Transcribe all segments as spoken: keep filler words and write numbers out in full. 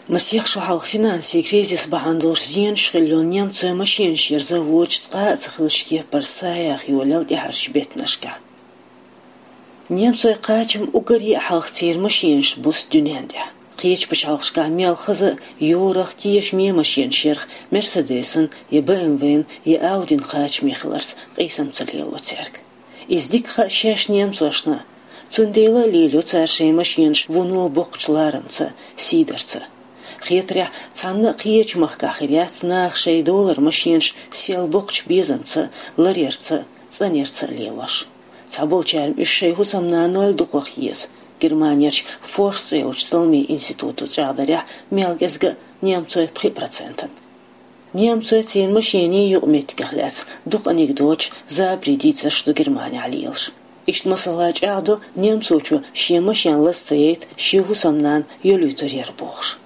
Масех шо хьалха финансийн кризис бахьана долуш зенаш хилла йолу немцойн машенаш ерза вочу цкъа а ца хиллачу кепара саяха йолаелла тӀаьхьарчу беттанашкахь. Немцойн кхачам уггаре а хьалха церан машенаш буссу дуьнен тӀехь. Кхечу пачхьалкхашкахь мел хаза а йорах, тешаме машенаш ярах Мерседесан я БМВ-н я Аудин кхачаме хиларца къийсам ца лело цаьрга. Иза дика хаьа шаьш немцошна а. Цундела а лелайо цара шайн машенаш вуно боккхачу ларамца а, сийдарца а. Хетарехь, цхьанна а кхечу махкахь хир яц наха шайн долара машенаш сел боккхачу безамца а, ларъярца а, цӀанъярца а лелош. Цхьаболчара уьш шайн хӀусамнанойла дукхах еза. Германерчу Форс цӀе йолчу талламийн институто чӀагӀдарехь, мел кӀезга а немцойн пхи процентан. Немцойн церан машенийн юкъаметтигах лаьцна дукха анекдоташ, забарийн дийцарш ду Германехь лелаш. Иштта, масала, чӀагӀдо немцочо шен машен лаза ца яйта, шен хӀусамнана йолуьйтур яра бохуш.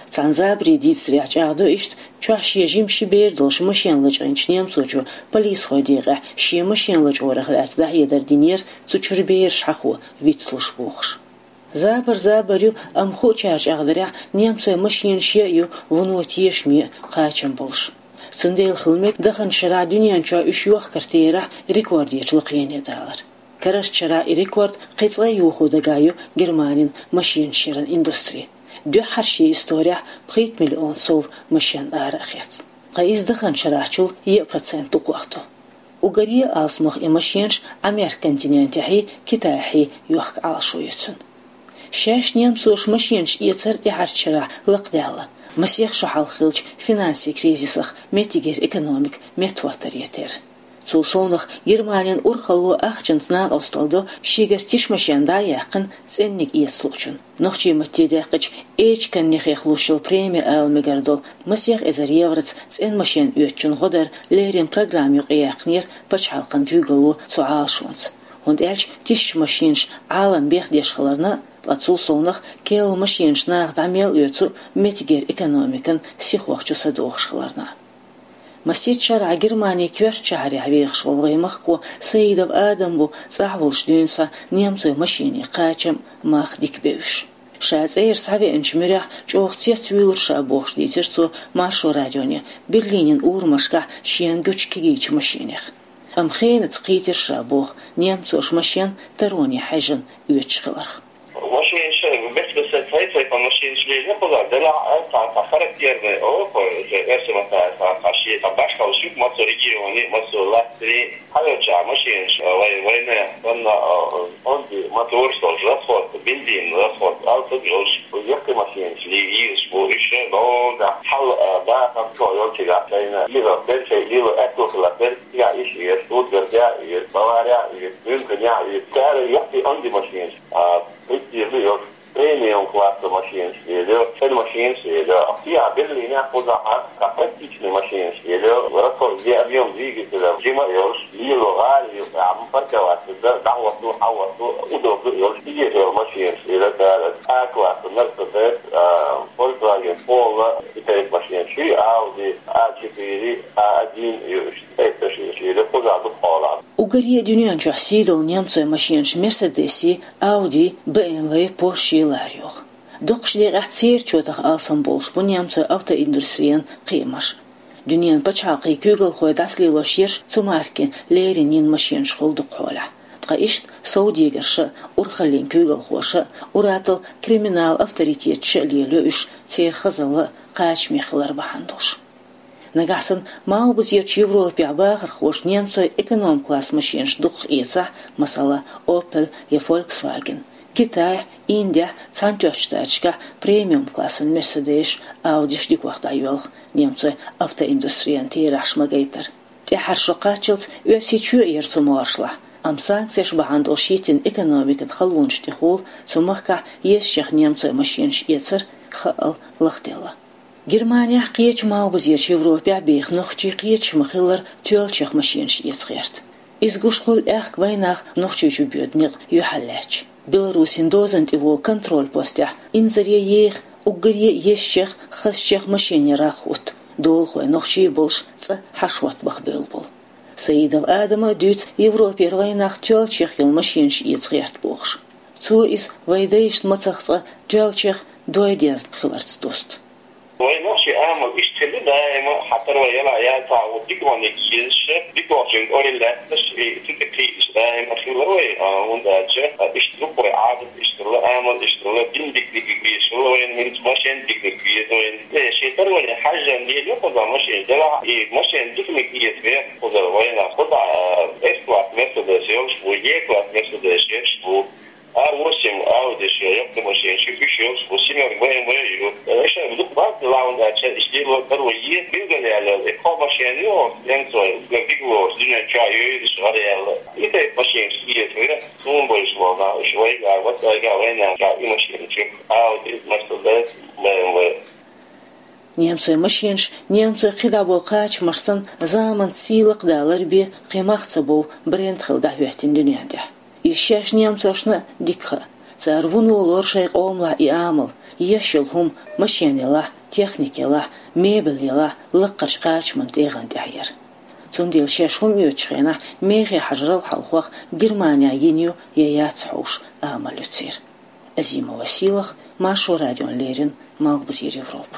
Цхьана забарийн дийцарехь чӀагӀдо иштта, чохь шен жима ши бер долуш машен лачкъийначу немцочо полисхойн декъехь шен машен лачкъорах лаьцна дӀахьедар динера, цу чуьра бераш хьахо вицлуш бохуш. Забар забар ю, амма хуучара чӀагӀдарехь, немцойн машенаш а ю вуно тешаме а, кхачам болуш. Цундела хила мега даханчу шарахь дуьнен чохь уьш йохкар терахь рекордерчу лакхене далар. Карарчу шарахь и рекорд кхин цкъа а йохо дагахь ю Германин машенаш яран индустри. Дуьххьарчу исторехь пхийтта миллион сов машен ара а хецна. Ткъа иза даханчу шарахьчул еа процент дукхох ду. Уггаре а алсамох и машенаш Ӏамеркан континентехьий, Китайхьий йохка Ӏалашо ю цуьнан. Шаьш немцоша машенаш эцар тӀаьхьарчу шарахь лакхадаьлла, масех шо хьалха хиллачу финансийн кризисах меттигера экономика меттахӀоттаре терра. Цул совнаха Германин урхалло ахчанца накъосталла до шегара тиша машен дӀа а яьккхина, цӀенниг эца луучунна. Нохчийн матте даьккхича, эчканнехех луш йолу преми ала мегар долу масех эзар евроца цӀена машен оьцучун гӀо дар леррина программа юкъаяьккхинера пачхьалкхан куьйгалло цу Ӏалашонца. ХӀунда аьлча тишачу машенаш Ӏалам бехдеш хиларна, ткъа цул совнаха керла машенаш наха дӀа мел оьцу меттигера экономикан сихох чу са дохуш хиларна. Масех шарахь Германин коьртачу шахьарехь вехаш волу вайн махко Саидов Адам бу цӀахь волуш дуьйна схьа немцойн машенийн кхачам, мах дика бевзаш. Ша цӀера схьавеанчу муьрехь чӀогӀа цецвуьйлура ша бохуш дийцира цо Маршо радионе Берлинин урамашкахь шена гучу кегийчу машенех. Амма хенаца кхийтира ша боху немцоша машен тароне хьаьжжина оьцуш хиларх. Машенаш, бес-бесара цхьа-цхьа машенаш лело кхузахь, делахь а цхьа, цхьа характерный, о, кхо, уже эрсий маттахь цхьа, цхьа шен, цхьа башхалла шуьга массо регионе, массо лаьттаре, хьаьвзача машенаш, вай, вайна, санна, а, онда мотораш долуш, расход, бензин расход, алсаг йолуш, яккхий машенаш ле-, езаш бу, уьш, догга, хьал, а, бахам, чо йолчигахь шайна, лила, бер шай, лила, аьтту хила, бер, я иш, еш, Штутгарте, еш, Баваре, еш, Мюнхене, еш, цара яккхий онда машенаш, а, Престижный йолуш премиум класса машинаш лелайо, цӀена машинаш лелайо. Ахьа Берлинехь кхузахь а практичный машинаш лелайо. Расход, объём двигателя жима а йолуш, лело гӀала ю, амма парковаться дар, дӀахӀотто, хьахӀотто, удобно йолуш, иза йолу машинаш лелайо цара. А класса Mercedes, а, Volkswagen Polo, и тайпа машинаш, и Audi А четыре, А один ю, и тайпа машинаш лелайо, кхузахь дукха хьолахь. Уггаре а дуьнен чохь сий долу немцойн машенаш Мерседеси, Ауди, БМВ, Порши лара йоху. Дукхачу декъехь церан чотах алсам болуш бу немцойн автоиндустрин кхиамаш. Дуьненан пачхьалкхийн куьйгалхой дӀасалелош ерш цу маркин леррина йина машенаш хуьлу дукхахьолахь. Ткъа иштта совдегарша а, урхаллин куьйгалхоша а, ур-атталла криминал авторитеташа а лелайо уьш церан хазалла а, кхачаме хилар бахьана долуш. Нагахь санна малхбузерчу Европехь бахархоша немцойн эконом-класс машенаш дукхах эцахь, масала, Opel я Volkswagen, Китайхь, Индехь, Цхьаьнатоьхначу Штаташкахь премиум-классан Мерседесаш, Аудиш дикох дӀайоьлху немцойн автоиндустрин терахьаш ма-гайтара. ТӀаьххьара шо кхаччалц Оьрсийчоь а яра цу могӀаршлахь, амма санкцеш бахьана долуш йиттина экономикан халонаш тӀехула цу махкахь езачех немцойн машенаш эцар хаъал лахделла. Германехь, кхечу малхбузерчу Европехь беха нохчий кхеташ ма-хиллара тоьллачех машенаш эца гӀерта. Иза гуш хуьлу аьхка вайнах Нохчийчу боьду некъ юьхьарлаьцча. Беларусин дозан тӀе волу контроль постехь инзаре еха уггаре а езачех, хазачех машен ярах хӀутту, долахой нохчий болуш цӀа хьашхӀотта бахбевлла болу. Саидов Адама дуьйцу Европера вайнах тоьллачех йолу машенаш эца гӀерта бохуш. Цо иза вайн дайшна мацах цкъа тоьллачех, дой дезна хиларца дуста. Вай нохчий амал иштта хилла даима, хьатар вай яла яца у диконник езаш, дикончун ойла лаьтташ, и цу тӀе кхийдаш даима хилла вай, а, хӀунда аьлча, а, иштта дукха вай Ӏадат иштта хилла, амал иштта хилла, дин диканиг везаш хилла вайна, хӀинца машен диканиг веза вайна. Э, шен тара вайна хьажжан дела юкъа машен дела, и машен диканиг еза вех кхузара вайна. Кхуза, а, С-класс Мерседес йолаш бу, Е-класс Мерседес йолаш бу. А восемь Audi шу, йоккха машен шу, уьш йолаш бу, семёрка Б М В ю. Э, ша дукха бакъ лаун дача, иш дило даро е, билгал яла, э, кхо машен ю, немцой, гар дигло, дуьнен ча йойдаш гӀар яла. И тайп машен шу, е, сумбойш вона, уьш вайга, ватайга, вайна, ша и машен шу, Audi, Mercedes, Б М В. Немцой машенаш, немцой кхидӀа болу кхачамаш санна, заманца сийлакх далар бе, кхин мах ца бов бренд хила дӀахӀоьттина дуьнен тӀехь. Иза шаьш немцошна дика хаьа. Цара вуно лору шайн къомалахь и амал, еш йолу хӀума, машен ялахь, техника ялахь, мебель ялахь, лаккхарчу кхачаман тӀегӀан тӀехь яра. Цундела шаьш хӀума оьцучу хенахь, мехе хьажарал хьалхох Германехь йина ю я яц хьовш амал ю церан. Азимова Сийлаха, Маршо радион леррина, Малхбузера Европа.